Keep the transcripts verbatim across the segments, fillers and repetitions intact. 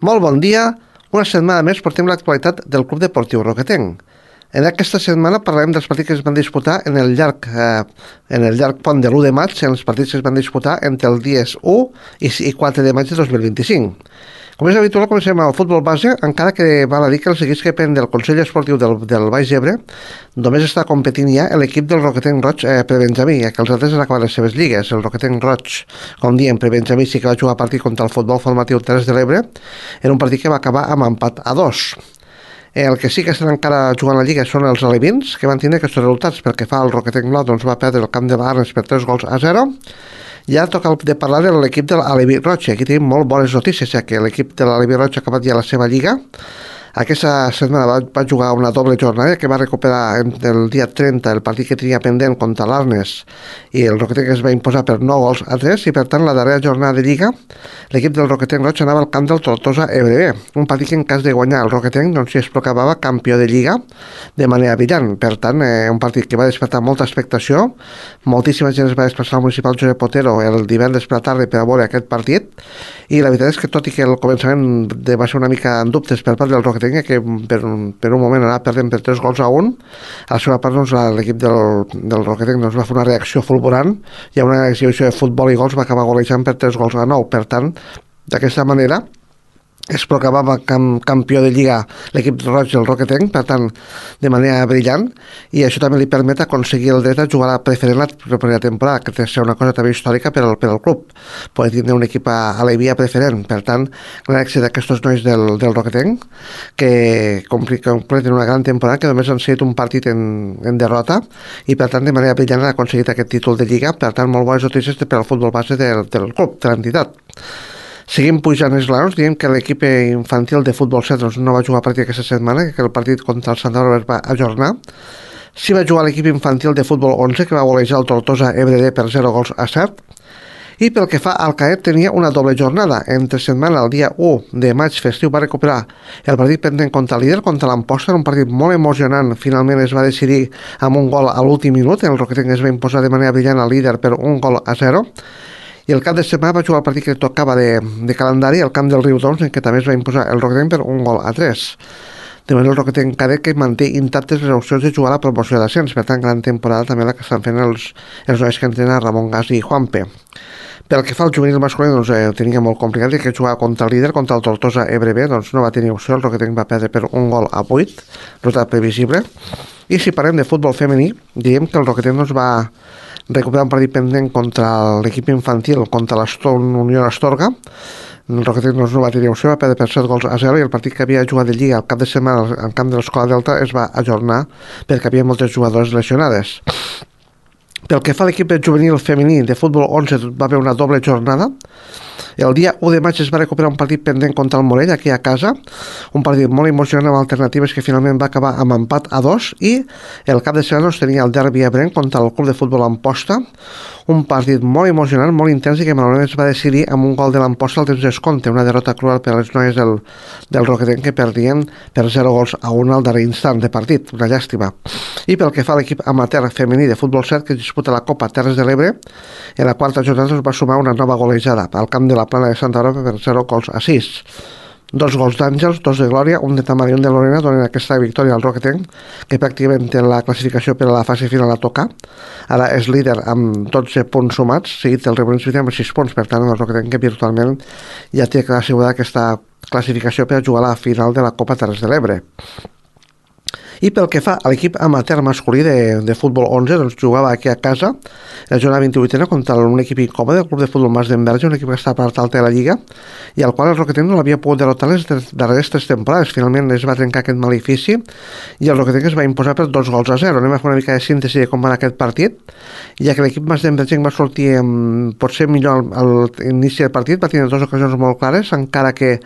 Molt bon dia. Una setmana més portem l'actualitat del Club Deportiu Roquetenc. En aquesta setmana parlarem dels partits que es van disputar en el llarg, eh, en el llarg pont de l'u de maig, en els partits que es van disputar entre els dies u i quatre de maig de dos mil vint-i-cinc. Com és habitual, comencem amb el futbol base, encara que val a dir que els equips que depèn del Consell Esportiu del, del Baix Ebre només està competint ja l'equip del Roquetenc Roig eh, prebenjamí, ja que els altres han acabat les seves lligues. El Roquetenc Roig, com diem, prebenjamí sí que va jugar partit contra el futbol formatiu Terres de l'Ebre, en un partit que va acabar amb empat a dos. El que sí que estan encara jugant la Lliga són els alevins, que van tenir aquests resultats. Pel que fa al Roquetenc Nou, doncs va perdre el camp de l'Arnes per tres gols a zero. Ja toca de parlar de l'equip de l'Aleví Roig. Aquí tenim molt bones notícies, ja que l'equip de l'Aleví Roig ha acabat ja la seva Lliga. Aquesta setmana va, va jugar una doble jornada que va recuperar el dia trenta el partit que tenia pendent contra l'Arnes i el Roquetenc es va imposar per nou gols a tres, i per tant la darrera jornada de Lliga l'equip del Roquetenc Roig anava al camp del Tortosa Ebre B, un partit que en cas de guanyar el Roquetenc doncs es proclamava campió de Lliga de manera brillant. Per tant, eh, un partit que va despertar molta expectació, moltíssima gent es va desplaçar al municipal Josep Otero el divendres per la tarda per a veure aquest partit, i la veritat és que tot i que el començament va ser una mica en dubtes per part del Roquetenc, que per un, per un moment anava perdent per tres gols a un, a la seva part doncs, l'equip del, del Roquetenc doncs, va fer una reacció fulgurant i a una exhibició de futbol i gols va acabar golejant per tres gols a nou. Per tant, d'aquesta manera es proclamava cam, campió de Lliga l'equip roig del Roquetenc, per tant, de manera brillant, i això també li permet aconseguir el dret a jugar a preferent la propera temporada, que té ser una cosa també històrica per al, per al club, poder tindre un equip a, a l'Eivia preferent. Per tant, gran èxit d'aquests nois del, del Roquetenc, que completen una gran temporada, que només han sigut un partit en, en derrota, i per tant, de manera brillant han aconseguit aquest títol de Lliga. Per tant, molt bones notícies per al futbol base del, del club, de l'entitat. Seguim pujant esglaons, diem que l'equip infantil de futbol set doncs, no va jugar partit aquesta setmana, que el partit contra el Santa Bàrbara es va ajornar. Sí va jugar l'equip infantil de futbol onze, que va golejar el Tortosa Ebre D per zero gols a set. I pel que fa al Caet, tenia una doble jornada. Entre setmana, el dia u de maig festiu, va recuperar el partit pendent contra el líder, contra l'Amposta, un partit molt emocionant. Finalment es va decidir amb un gol a l'últim minut. El Roquetenc es va imposar de manera brillant al líder per un gol a zero. I el cap de setmana va jugar el partit que tocava de, de calendari, el camp del Riudoms, en què també es va imposar el Roquetenc per un gol a tres. De manera el Roquetenc cadet que manté intactes les opcions de jugar a la promoció d'ascens. Per tant, gran temporada també la que estan fent els, els nois que entrenen Ramon Gas i Juanpe. Pel que fa al juvenil masculí, doncs, eh, tenia molt complicat, i que jugava contra el líder, contra el Tortosa Ebre B, doncs no va tenir opció. El Roquetenc va perdre per un gol a vuit, resultat previsible. I si parlem de futbol femení, diem que el Roquetenc doncs, va recuperar un partit pendent contra l'equip infantil, contra l'Aston Unió Astorga. El Roquetenc no va tenir opció, va perdre per set gols a zero, i el partit que havia jugat de Lliga al cap de setmana al camp de l'Escola Delta es va ajornar perquè havia moltes jugadores lesionades. Pel que fa a l'equip juvenil femení de futbol onze, va haver una doble jornada. El dia u de maig es va recuperar un partit pendent contra el Morell, aquí a casa, un partit molt emocionant amb alternatives que finalment va acabar amb empat a dos, i el cap de setmana tenia el derbi ebrenc contra el club de futbol Amposta, un partit molt emocionant, molt intens, i que malauradament es va decidir amb un gol de l'Amposta al temps d'escompte, una derrota cruel per a les noies del, del Roquetenc, que perdien per zero gols a un al darrer instant de partit, una llàstima. I pel que fa a l'equip amateur femení de futbol set, que disputa la Copa Terres de l'Ebre, en la quarta jornada es va sumar una nova golejada al camp de la Plana de Santa Bàrbara per zero gols a sis. Dos gols d'Àngels, dos de Glòria, un de Tamar i un de Lorena donen aquesta victòria al Roquetenc, que pràcticament té la classificació per a la fase final a tocar. Ara és líder amb dotze punts sumats, seguit el Ribonins amb sis punts. Per tant, el Roquetenc que virtualment ja té assegurada aquesta classificació per a jugar a la final de la Copa Terres de l'Ebre. I pel que fa a l'equip amateur masculí de, de futbol onze, doncs jugava aquí a casa la jornada vint-i-vuitena contra un equip incòmode, el club de futbol Mas d'Enverge, un equip que està a part alta de la Lliga, i al qual el Roquetenc no l'havia pogut derrotar les darreres tres temporades. Finalment es va trencar aquest malefici i el Roquetenc es va imposar per dos gols a zero. Anem a fer una mica de síntesi de com va aquest partit, ja que l'equip Mas d'Enverge va sortir amb, potser millor al, al inici del partit, va tenir dues ocasions molt clares, encara que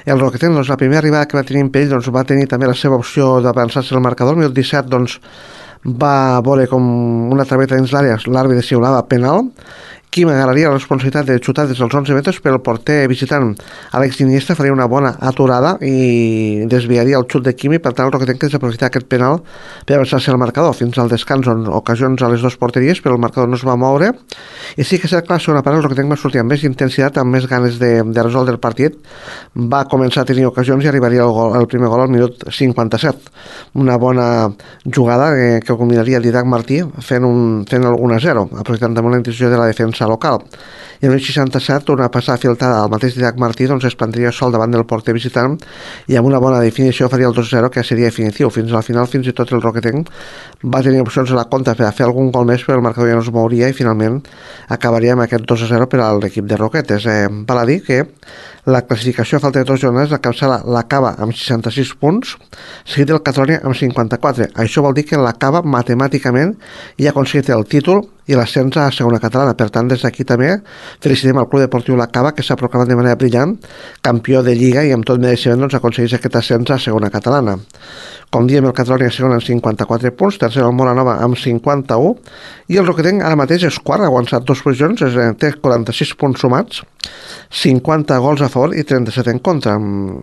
el Roquetenc, doncs, la primera arribada que va tenir en pell, doncs, va tenir també la seva opció d'avançar-se al marcador. El minut disset, doncs, va veure com una traveta dins l'àrea, l'àrbitre xiulava penal, Quim agarraria la responsabilitat de xutar des dels onze metres, però el porter visitant Àlex Iniesta faria una bona aturada i desviaria el xut de Quimi. Per tant, el Roquetenc té desaprofitar aquest penal per avançar-se al marcador fins al descans, on ocasions a les dues porteries, però el marcador no es va moure. I sí que és clar, a la segona part el Roquetenc va sortir amb més intensitat, amb més ganes de, de resoldre el partit. Va començar a tenir ocasions i arribaria el, gol, el primer gol al minut cinquanta-set. Una bona jugada que, que combinaria Didac Martí fent, un, fent el un a zero, aprofitant també la intenció de la defensa local. I en el seixanta-set, una passada filtrada al mateix Didac Martí, doncs es plantaria sol davant del porter visitant i amb una bona definició faria el dos a zero, que seria definitiu. Fins al final, fins i tot el Roquetenc va tenir opcions a la compta per a fer algun gol més, però el marcador ja no es mouria i finalment acabaria amb aquest dos a zero per a l'equip de Roquetes. Eh, val a dir que la classificació a falta de dos jornades, la Capçala l'acaba amb seixanta-sis punts, seguit del Catalonia amb cinquanta-quatre. Això vol dir que l'acaba matemàticament i ha aconseguit el títol i l'ascens a segona catalana. Per tant, des d'aquí també felicitem al Club Deportiu La Cava, que s'ha proclamat de manera brillant campió de Lliga i amb tot mereixement doncs, aconsegueix aquest ascens a segona catalana. Com diem, el Catalonia segon amb cinquanta-quatre punts, tercer el Moranova amb cinquanta-u i el Roquetenc ara mateix és quart, ha aguantat dues posicions, és, té quaranta-sis punts sumats, cinquanta gols a favor i trenta-set en contra.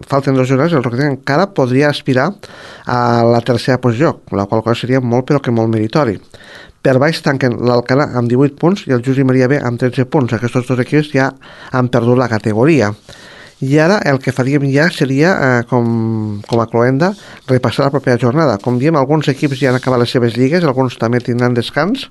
Falten dos jornades, el Roquetenc encara podria aspirar a la tercera posició, la qual cosa seria molt però que molt meritori. Per baix tanquen l'Alcanar amb divuit punts i el Josep Maria B amb tretze punts. Aquests dos equips ja han perdut la categoria. I ara el que faríem ja seria, eh, com, com a cloenda, repassar la propera jornada. Com diem, alguns equips ja han acabat les seves lligues, alguns també tindran descans.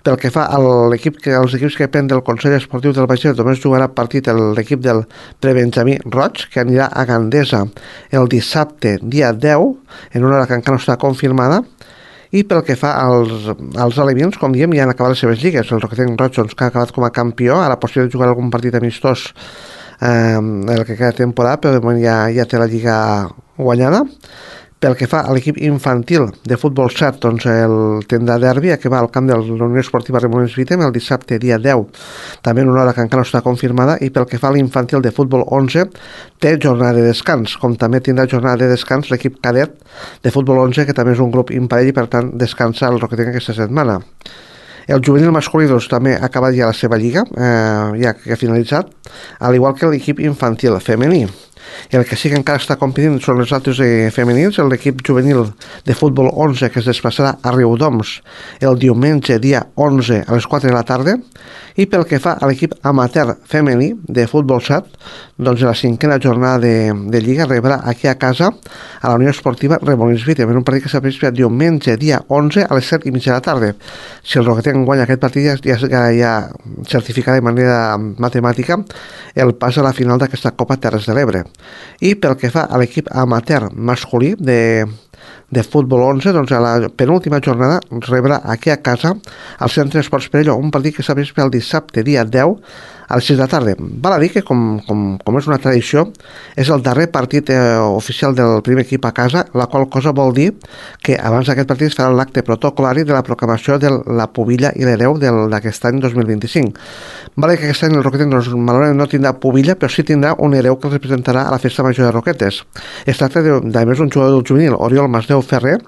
Pel que fa a l'equip que, als equips que depèn del Consell Esportiu del Baix Ter, només jugarà partit l'equip del Prebenjamí Roig, que anirà a Gandesa el dissabte, dia deu, en una hora que encara no està confirmada. I pel que fa als, als alevins, com diem, ja han acabat les seves lligues. El Roquetenc Roig, doncs, que ha acabat com a campió, ara possible de jugar algun partit amistós eh, el que queda temporada, però de moment ja, ja té la lliga guanyada. Pel que fa a l'equip infantil de futbol set, doncs el tindrà derbi, que va al camp de la Unió Esportiva Remolins Vitem el dissabte dia deu, també en una hora que encara no està confirmada. I pel que fa a l'infantil de futbol onze, té jornada de descans, com també tindrà jornada de descans l'equip cadet de futbol onze, que també és un grup imparell i per tant descansa el Roquetenc aquesta setmana. El juvenil masculí doncs, també ha acabat ja la seva lliga, eh, ja que ha finalitzat, al igual que l'equip infantil femení. El que sí que encara està competint són els altres eh, femenins, l'equip juvenil de futbol onze, que es desplaçarà a Riudoms el diumenge dia onze a les quatre de la tarda. I pel que fa a l'equip amateur femení de futbol set, doncs la cinquena jornada de, de Lliga rebrà aquí a casa a la Unió Esportiva Remolins Vitem, en un partit que s'apreciarà diumenge dia onze a les set i mitja de la tarda. Si el Roquetenc guanya aquest partit ja, ja, ja certificarà de manera matemàtica el pas a la final d'aquesta Copa Terres de l'Ebre. I pel que fa a l'equip amateur masculí de, de futbol onze, doncs a la penúltima jornada rebrà aquí a casa al Centre Esports Perelló, un partit que s'ha vist el dissabte dia deu a les sis de la tarda. Val a dir que, com, com, com és una tradició, és el darrer partit eh, oficial del primer equip a casa, la qual cosa vol dir que abans d'aquest partit es farà l'acte protocolari de la proclamació de la pubilla i l'hereu d'aquest any dos mil vint-i-cinc. Val a dir que aquest any el Roquetes doncs, malauradament no tindrà pubilla, però sí tindrà un hereu que el representarà a la festa major de Roquetes. Es tracta de, de més un jugador del juvenil, Oriol Masdeu Ferrer,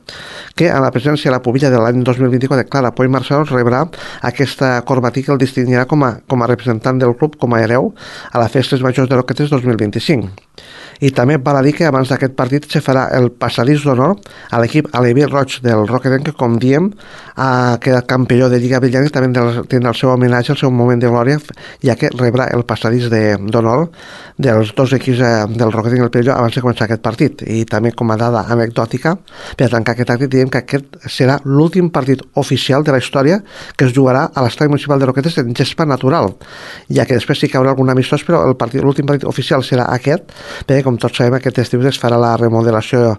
que en la presència de la pubilla de l'any dos mil vint-i-quatre, Clara Poy Marçal, rebrà aquesta corbatí que el distingirà com a, com a representant del club, com a hereu a les festes majors de Roquetes dos mil vint-i-cinc. I també val a dir que abans d'aquest partit se farà el passadís d'honor a l'equip aleví roig del Roquetenc, que, com diem, ha quedat campió de Lliga Brillant i també tindrà el seu homenatge, el seu moment de glòria, ja que rebrà el passadís d'honor de, dels dos equips eh, del Roquetenc i el Perelló abans de començar aquest partit. I també, com a dada anecdòtica, per tancar aquest acte, diem que aquest serà l'últim partit oficial de la història que es jugarà a l'estadi municipal de Roquetes en gespa natural, ja que després sí que hi haurà algun amistós, però l'últim partit oficial serà aquest, perquè, com tots sabem, aquest estiu es farà la remodelació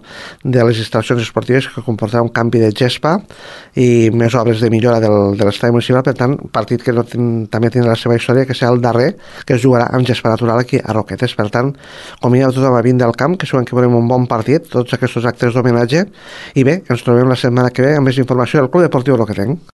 de les instal·lacions esportives, que comportarà un canvi de gespa i més obres de millora del, de l'estadi municipal. Per tant, partit que no ten, també tindrà la seva història, que serà el darrer que es jugarà amb gespa natural aquí a Roquetes. Per tant, convidem a tothom a vindre al camp, que segurament que veurem un bon partit, tots aquests actes d'homenatge. I bé, ens trobem la setmana que ve amb més informació del Club Deportiu Roquetenc.